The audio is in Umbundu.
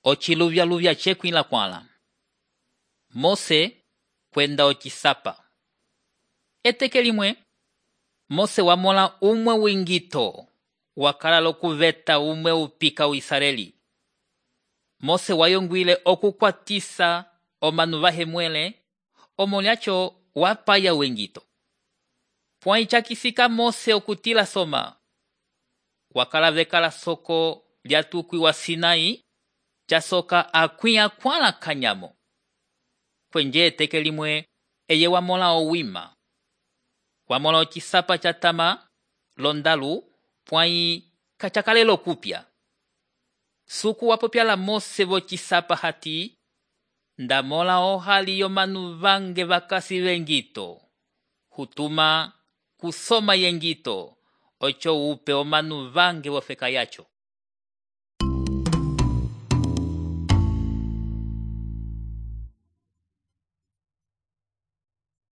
ociluvyaluvya cekwila kwãla. Mose kwenda ocisapa. Eteke limwe, Mose wamõla umwe wingito wakala l'okuveta umwe upika wa Israeli. Mose wayongwile okukwatisa omanu vahemwele, omolyaco wapaya wengito. Pwãyi cakisika Mose okutila soma. Wakala vekala soko lyatukwi wa Sinai, casoka akwĩ akwãla kanyamo. Kwenje eteke limwe eye wamõla owima. Wamõla ocisapa catama londalu, pwãyi kacakalela okupya. Suku wapopyala Mose vocisapa hati, ndamõla ohali yomanu vange vakasi vengito. Hutuma kusoma yengito, oco upe omanu vange vofeka yaco.